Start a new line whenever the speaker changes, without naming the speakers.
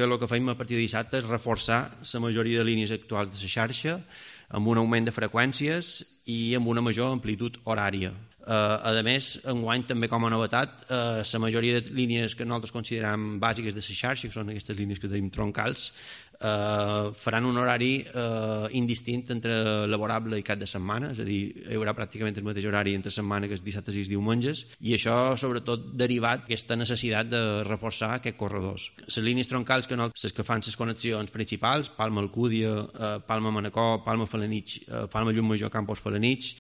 El que fem a partir de dissabte és reforçar la majoria de línies actuals de la xarxa amb un augment de freqüències i amb una major amplitud horària. A més, enguany també com a novetat, la majoria de línies que nosaltres considerem bàsiques de la xarxa, que són aquestes línies que tenim troncals, faran un horari indistint entre laborable i cap de setmana, és a dir, hi haurà pràcticament el mateix horari entre setmana que els dissabtes i els diumenges, i això sobretot derivat d'aquesta necessitat de reforçar aquests corredors. Les línies troncals les que fan les connexions principals, Palma-Alcúdia, Palma-Manacor, Palma-Felanitx, Palma-Llum Major, Campos-Felanitx,